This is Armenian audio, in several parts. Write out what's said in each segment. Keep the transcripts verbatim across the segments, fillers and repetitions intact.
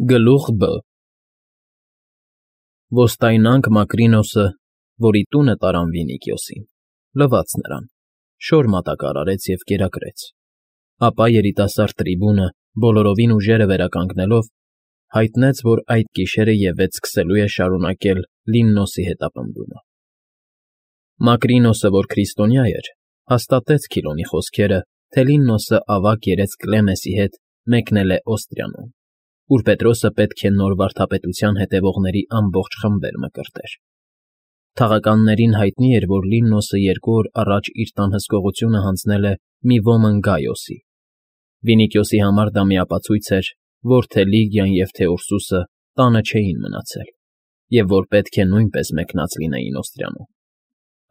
Գլուխ Բ Ոստայնանք Մակրինոսը, որի տունը տարան Վինիքիոսին, լվաց նրան, շոր մատակար արեց և կերակրեց, ապա երիտասարդ трибունը, բոլորովին ուժերը վերականգնելով, հայտնեց, որ այդ գիշերը ևեթ սկսելու է շարունակել Լիննոսի հետապնդումը։ Մակրինոսը, որ քրիստոնյա էր, հաստատեց Քիլոնի խոսքերը, թե Լիննոսը ավագ երեց Կլեմեսի հետ մեկնել է Օստրիանում, ուր Պետրոսը պետք է նոր վարդապետության հետևողների ամբողջ խմբեր մկրտեր։ Թաղականներին հայտնի էր, որ Լիննոսը երկու օր առաջ իր տան հսկողությունը հանձնել է մի ոմն Գայոսի։ Վինիքիոսի համար դա միապացույց էր, որ թե Լիգիան և թե Ուրսուսը տանը չէին մնացել, և որ պետք է նույնպես մեկնած լինեին Օստրիանում։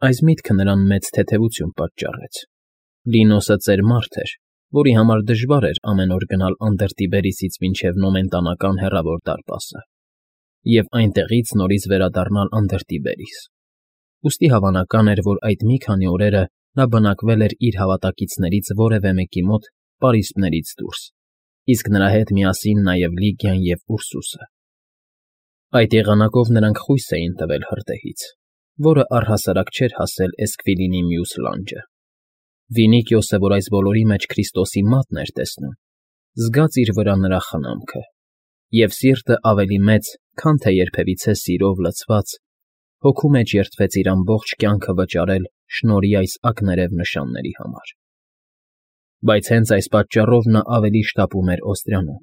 Այս միտքը նրան մեծ թեթևություն պատճառեց։ Լիննոսը ծեր մարդ էր, որի համար դժվար էր ամեն օր գնալ Անդերտիբերիսից մինչև Նոմենտանական հեռավոր դարպասը և այնտեղից նորից վերադառնալ Անդերտիբերիս։ Ուստի հավանական էր, որ այդ մի քանի օրերը նա բնակվել էր իր հավատակիցներից որևէ մեկի մոտ պարիսպներից դուրս, իսկ նրա հետ միասին նաև Լիգիան և Ուրսուսը։ Այդ եղանակով նրանք խույս էին տվել հրդեհից, որը առհասարակ չէր հասել Էսքվիլինի մյուս լանջը։ Վինիքիոսը, որ այս բոլորի մեջ Քրիստոսի մատն էր տեսնում, զգաց իր վրա նրա խնամքը, և սիրտը ավելի մեծ, քան թե երբևիցե սիրով լցված, հոգու մեջ երդվեց իր ամբողջ կյանքը վճարել շնորհի այս ակներև նշանների համար։ Բայց հենց այս պատճառով նա ավելի շտապում էր Օստրիանում.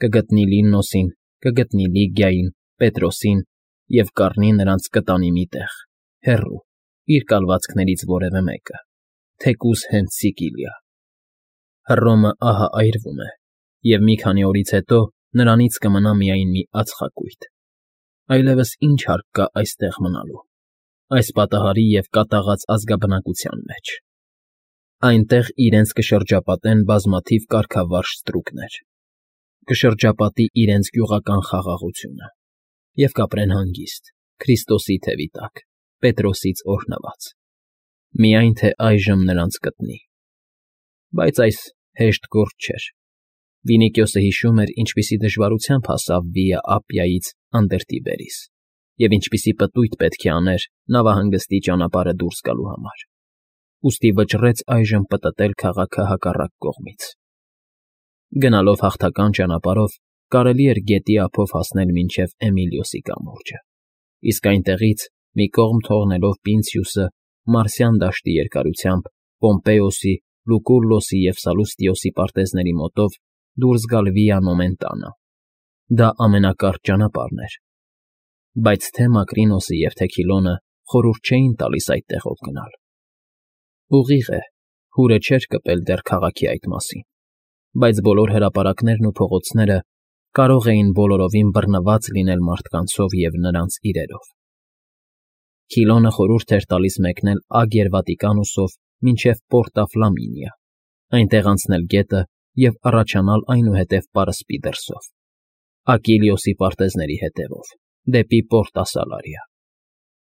կգտնի Լիննոսին, կգտնի Լիգիային, Պետրոսին և կառնի նրանց կտանի մի տեղ, հեռու, իր կալվածքներից որևէ մեկը, թեկուզ հենց Սիկիլիա։ Հռոմը ահա այրվում է, և մի քանի օրից հետո նրանից կմնա միայն մի ածխակույտ։ Այլևս ինչ հարկ կա այստեղ մնալու, այս պատահարի և կատաղած ազգաբնակության մեջ։ Այնտեղ իրենց կշրջապատեն բազմաթիվ կարգավարժ ստրուկներ, կշրջապատի իրենց գյուղական խաղաղությունը, և կապրեն հանգիստ, Քրիստոսի թևի տակ, Պետրոսից օրհնված։ Միայն թե այժմ նրանց կտնի։ Բայց այս հեշտ գործ չէր։ Վինիքիոսը հիշում էր, ինչպիսի դժվարությամբ հասավ Վիա Ապիայից Անդերտիբերիս, և ինչպիսի պտույտ պետք է աներ նավահանգստի ճանապարհը դուրս գալու համար։ Ուստի վճռեց այժմ պտտել քաղաքը հակառակ կողմից։ Գնալով հաղթական ճանապարհով կարելի էր գետի ափով հասնել մինչև Էմիլիոսի կամուրջը, իսկ այնտեղից, մի կողմ թողնելով Պինցիուսը, Մարսյան դաշտի երկարությամբ Պոմպեոսի, Լուկուլլոսի և Սալուստիոսի պարտեզների մոտով դուրս գալ Վիա Նոմենտանա։ Դա ամենակարճ ճանապարհն էր։ Բայց թե Մակրինոսը և թե Քիլոնը խորհուրդ չէին տալիս այդտեղով գնալ։ Ուղիղ է, հուրը չէր կպել դեռ քաղաքի այդ մասին, բայց բոլոր հրապարակներն ու փողոցները կարող էին բոլորովին բռնված լինել մարդկանցով և նրանց իրերով։ Քիլոնը խորհուրդ էր տալիս մեկնել Ագերվատիկանուսով մինչև Պորտա Ֆլամինիա, այնտեղ անցնել գետը և առաջանալ այնուհետև Պարսպի դրսով, Ակիլիոսի պարտեզների հետևով, դեպի Պորտա Սալարիա։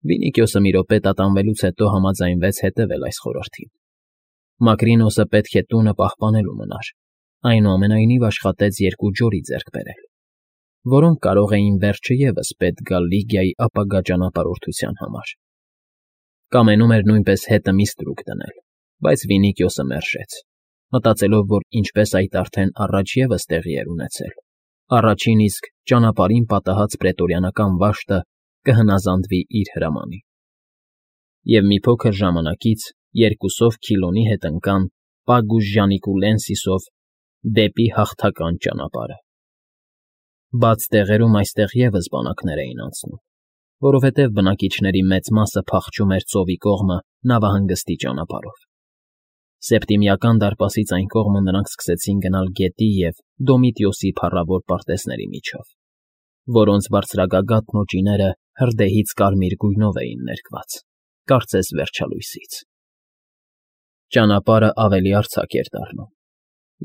Վինիքիոսը մի րոպե տատանվելուց հետո համաձայնվեց հետևել այս խորհրդին։ Մակրինոսը պետք է տունը պահպանելու մնար, այնուամենայնիվ աշխատեց երկու ջորի ձեռք բերել, որոնք կարող էին վերջը ևս պետք գալ Լիգիայի ապագա ճանապարհորդության համար։ Կամենում էր նույնպես հետը մի ստրուկ դնել, բայց Վինիքիոսը մերժեց, մտածելով, որ ինչպես այդ արդեն առաջ ևս տեղի էր ունեցել, առաջին իսկ ճանապարհին պատահած պրետորիանական վաշտը կհնազանդվի իր հրամանին։ Եվ մի փոքր ժամանակից երկուսով Քիլոնի հետ ընկան Պագուս Ժանիկուլենսիսով դեպի հաղթական ճանապարհը։ Բաց տեղերում այստեղ ևս բանակներ էին անցնում, որովհետև բնակիչների մեծ մասը փախչում էր ծովի կողմը նավահանգստի ճանապարհով։ Սեպտիմիական դարպասից այն կողմը նրանք սկսեցին գնալ գետի և Դոմիտիոսի փառավոր պարտեզների միջով, որոնց բարձրագագաթն ու ջիները հրդեհից կարմիր գույնով էին ներկված, կարծես վերջալույսից։ Ճանապարհը ավելի արձակ էր դառնում,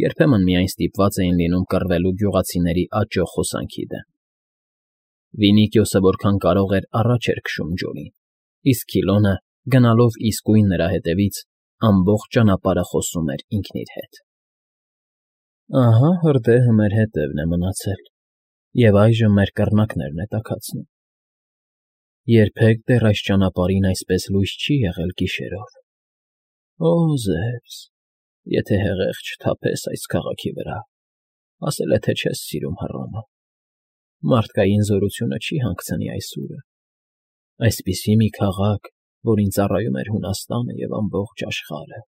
երբեմն միայն ստիպված էին լինում կռվելու գյուղացիների աճող հոսանքի դեմ։ Վինիքիոսը որքան կարող էր առաջ էր քշում ջորին, իսկ Քիլոնը, գնալով իսկույն նրա հետևից, ամբողջ ճանապարհը խոսում էր ինքն իր հետ. «Ահա հրդեհը մեր հետևն է մնացել, Եվ այժմ մեր կռնակներն է տաքացնում։ Երբեք դեռ այս ճանապարհին այսպես լույս չի եղել գիշերով։ Օ, Զևս, եթե հեղեղ չթափես այս քաղաքի վրա, ասել է, թե չես սիրում Հռոմը, մարդկային զորությունը չի հանգցնի այս ուրը, այսպիսի մի քաղաք, որին ծառայում էր Հունաստանը և ամբողջ աշխարհը,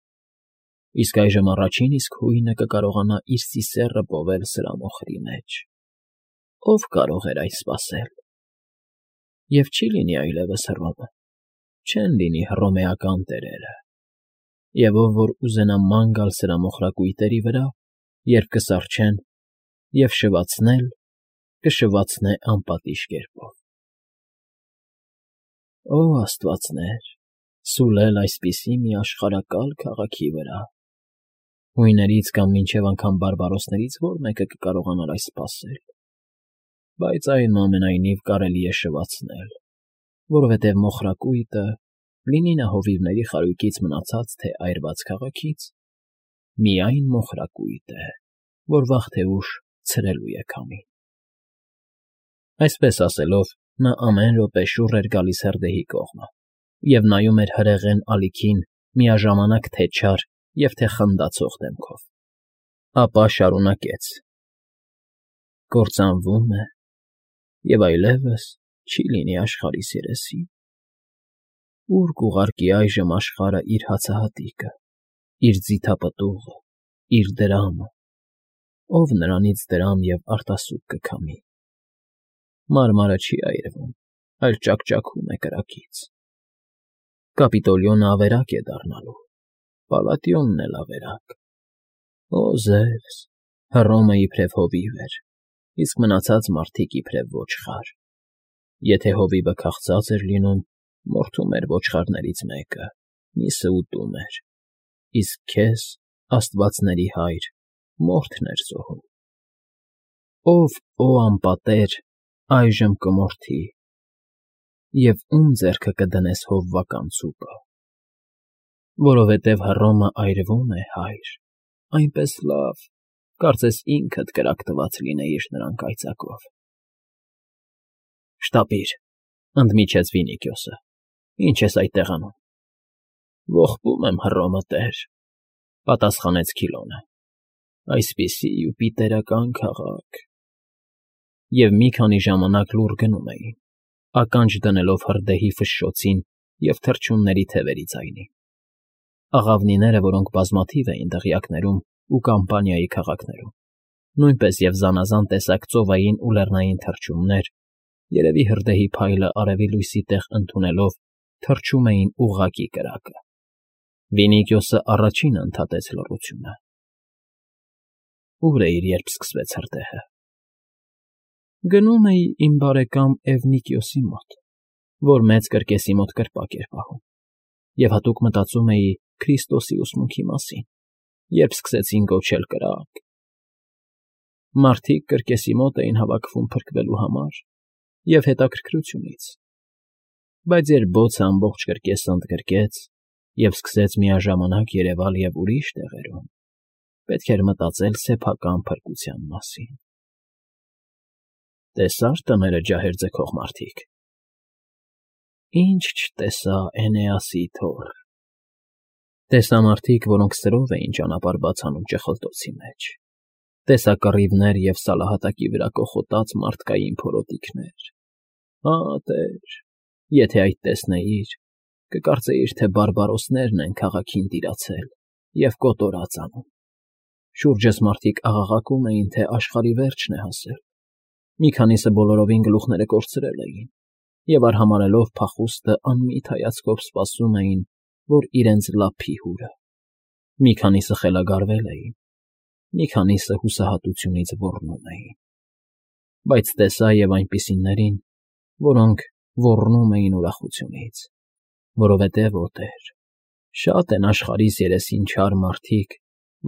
իսկ այժմ առաջին իսկ հույնը կկարողանա իր ծիսեռը պովել սրա մոխրի մեջ։ Ո՞վ կարող էր այն սպասել։ Եվ չի լինի այլևս Հռոմը, չեն լինի հռոմեական տերերը, և ով որ ուզենա ման գալ սրա մոխրակույտերի վրա, երբ կսառչեն, և շվացնել, կշվացնե անպատիժ կերպով։ Օ աստվածներ, սուլել այսպիսի մի աշխարհակալ քաղաքի վրա, հույներից կամ մինչև անգամ բարբարոսներից ո՞ր մեկը կկարողանար այս սպասել, բայց այնուամենայնիվ կարելի է շվացնել, որովհետև մոխրակույտը, լինի նա հովիվների խարույկից մնացած, թե այրված քաղաքից, միայն մոխրակույտ է, որ վաղ թե ուշ ցրելու է քամին։ Այսպես ասելով, նա ամեն րոպե շուռ էր գալիս հրդեհի կողմը և նայում էր հրեղեն ալիքին միաժամանակ թե չար և թե խնդացող դեմքով, ապա շարունակեց. Կործանվում է և այլևս չի լինի աշխարհիս երեսին։ Ո՞ւր կուղարկի այժմ աշխարհը իր հացահատիկը, իր ձիթապտուղը, իր դրամը, ով նրանից դրամ և արտասուք կքամի։ Մարմարը չի այրվում, այլ ճակճակում է կրակից։ Կապիտոլիոնը ավերակ է դառնալու, Պալատիոնն էլ ավերակ։ Օ Զևս, Հռոմը իբրև հովիվ էր, իսկ մնացած մարդիկ իբրև ոչխար։ Եթե հովիվը քաղցած էր լինում, մորթում էր ոչխարներից մեկը, միսը ուտում էր, իսկ քեզ, աստվածների Հայր, մորթն էր զոհում։ Ով, օ անպատեր, այժմ կմորթի, և ում ձեռքը կդնես հովվական ցուպը։ Որովհետև Հռոմը այրվում է, Հայր, այնպես լավ, կարծես ինքդ կրակ տված լինեիր նրան կայծակով։ Շտապիր, ընդմիջեց Վինիքիոսը, ի՞նչ ես այդտեղ անում։ Ողբում եմ, Հռոմը տեր, պատասխանեց Քիլոնը, այսպիսի յուպիտերական քաղաք։ Եվ մի քանի ժամանակ լուռ գնում էին, ականջ դնելով հրդեհի ֆշշոցին և թռչունների թևերի ձայնին։ Աղավնիները, որոնք բազմաթիվ էին դղյակներում ու Կամպանիայի քաղաքներում, նույնպես և զանազան տեսակ ծովային ու լեռնային թռչուններ, երևի հրդեհի փայլը արևի լույսի տեղ ընդունելով, թռչում էին ուղղակի կրակը։ Վինիքիոսը առաջինը ընդհատեց լռությունը։ Ո՞ւր էիր, երբ սկսվեց հրդեհը։ Գնում էի իմ բարեկամ Էվնիկիոսի մոտ, որ մեծ կրկեսի մոտ կրպակ էր պահում, և հատուկ մտածում էի Քրիստոսի ուսմունքի մասին, երբ սկսեցին կոչել կրակ։ Մարդիկ կրկեսի մոտ էին հավաքվում փրկվելու համար և հետաքրքրությունից, բայց երբ բոցը ամբողջ կրկեսը ընդգրկեց և սկսեց միաժամանակ երևալ և ուրիշ տեղերում, պետք էր մտածել սեփական փրկության մասին։ Տեսա՞ր տները ջահեր ձգող մարդիկ։ Ինչ չտեսա Էնեասի թոռ։ Տեսա մարդիկ, որոնք սրով էին ճանապարհ բաց անում ճխլտոցի մեջ, տեսա կռիվներ և սալահատակի վրա կոխոտած մարդկային փորոտիքներ։ Հա, տեր, եթե այդ տեսնեիր, կկարծեիր, թե բարբարոսներն են քաղաքին տիրացել և կոտորած անում։ Շուրջս մարդիկ աղաղակում էին, թե աշխարհի վերջն է հասել։ Մի քանիսը բոլորովին գլուխները կորցրել էին և արհամարհելով փախուստը անմիտ հայացքով սպասում էին, որ իրենց լափի հուրը։ Մի քանիսը խելագարվել էին, մի քանիսը հուսահատությունից ոռնում էին։ Բայց տեսա և այնպիսիներին, որոնք ոռնում էին ուրախությունից, որովհետև, օ Տեր, շատ են աշխարհիս երեսին չար մարդիկ,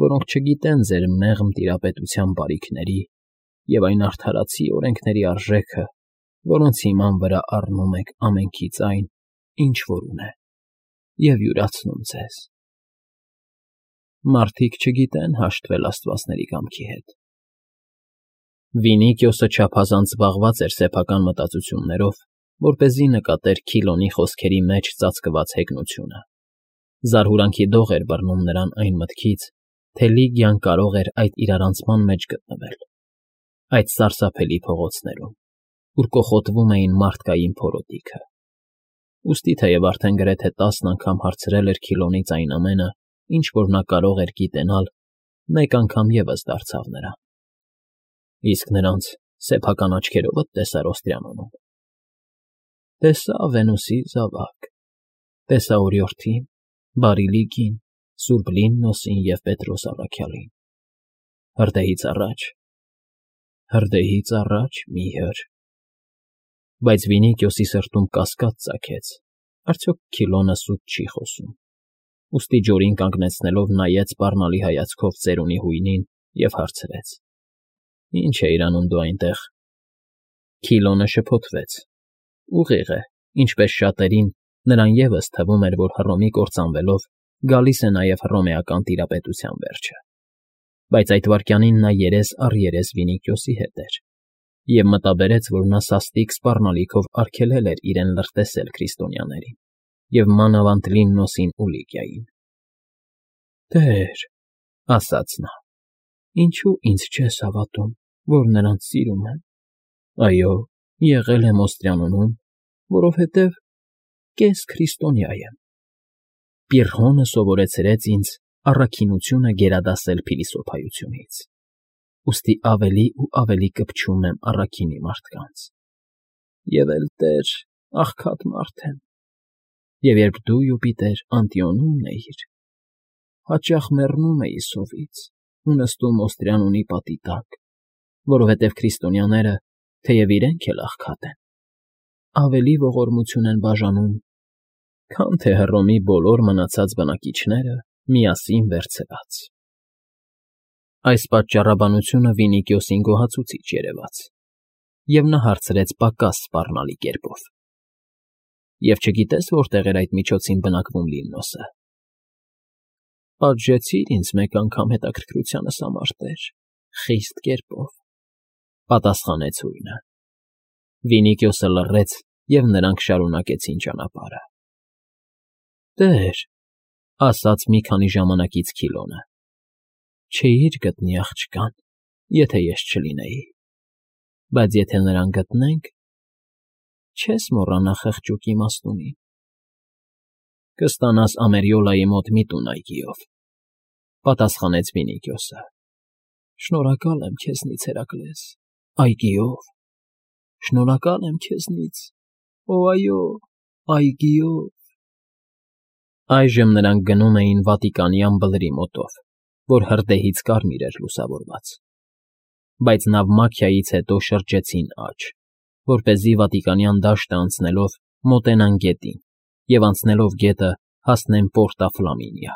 որոնք չգիտեն ձեր մեղմ տիրապետության բարիքների և այն արդարացի օրենքների արժեքը, որոնց հիման վրա առնում եք ամենքից այն, ինչ որ ունեն, և յուրացնում ձեզ։ Մարդիկ չգիտեն հաշտվել աստվածների կամքի հետ։ Վինիկիոսը չափազանց զբաղված էր սեփական մտածություններով, որպեսզի նկատեր Քիլոնի խոսքերի մեջ ծածկված հեգնությունը։ Զարհուրանքի դող էր բռնում նրան այն մտքից, թե Լիգիան կարող էր այդ իրարանցման մեջ գտնվել, այդ սարսափելի փողոցներում, ուր կոխոտվում էին մարդկային փորոտիքը։ Ուստի թեև արդեն գրեթե տասն անգամ հարցրել էր Քիլոնից այն ամենը, ինչ որ նա կարող էր գիտենալ, մեկ անգամ ևս դարձավ նրան։ Իսկ նրանց սեփական աչքերովդ տեսար Օստրիանոնում։ Տեսա Վենուսի զավակ, տեսա օրիորդին, բարի Լիգին, Սուրբ Լիննոսին և Պետրոս առաքյալին։ Հրդեհից առաջ, հրդեհից առաջ մի հր… Բայց Վինիկիոսի սրտում կասկած ծագեց. արդյոք Քիլոնը սուտ չի խոսում։ Ուստի ջորին կանգնեցնելով նայեց սպառնալի հայացքով ծերունի հույնին և հարցրեց. Ինչ էիր անում դու այնտեղ։ Քիլոնը շփոթվեց։ Ուղիղ է, ինչպես շատերին, նրան ևս թվում էր, որ Հռոմի կործանվելով գալիս է նաև հռոմեական տիրապետության վերջը։ Բայց այդ վայրկյանին նա երես առ երես Վինիկիոսի հետ էր, և մտաբերեց, որ նա սաստիկ սպառնալիքով արգելել էր իրեն լրտեսել քրիստոնյաներին և մանավանդ Լիննոսին ու Լիգիային։ Տեր, ասաց նա, ինչո՞ւ ինձ չես հավատում, որ նրանց սիրում եմ։ Այո, եղել եմ Օստրիանոնում, որովհետև կես քրիստոնյա եմ։ Պիրռհոնը սովորեցրեց ինձ առաքինությունը գերադասել փիլիսոփայությունից, ուստի ավելի ու ավելի կպչում եմ առաքինի մարդկանց։ Եվ էլ, Տեր, աղքատ մարդ եմ, և երբ դու, Յուպիտեր, Անտիոնում էիր, հաճախ մեռնում էի սովից ու նստում Օստրիանունի պատի տակ, որովհետև քրիստոնյաները, թեև իրենք էլ աղքատ են, ավելի ողորմություն են բաժանում, քան թե Հռոմի բոլոր մնացած բնակիչները միասին վերցրած։ Այս պատճառաբանությունը Վինիկիոսին գոհացուցիչ երևաց, և նա հարցրեց պակաս սպառնալի կերպով. Եվ չգիտե՞ս որտեղ էր այդ միջոցին բնակվում Լիննոսը։ Պատժեցիր ինձ մեկ անգամ հետաքրքրությանս համար, Տեր, խիստ կերպով, պատասխանեց հույնը։ Վինիկիոսը լռեց, և նրանք շարունակեցին ճանապարհը։ Տեր, ասաց մի քանի ժամանակից Քիլոնը, չէիր գտնի աղջկան, եթե ես չլինեի, բայց եթե նրան գտնենք, չես մոռանա խղճուկ իմաստունին։ Կստանաս Ամերիոլայի մոտ մի տուն այգիով, պատասխանեց Վինիկիոսը։ Շնորհակալ եմ քեզնից, Հերակլես, այգիով, շնորհակալ եմ քեզնից, օ, այո, այգիով։ Այժմ նրանք գնում էին Վատիկանյան բլրի մոտով, որ հրդեհից կարմիր էր լուսավորված։ Բայց Նավմաքիայից հետո շրջեցին աջ, որպեսզի Վատիկանյան դաշտը անցնելով մոտենան գետին և անցնելով գետը հասնեն Պորտա Ֆլամինիա։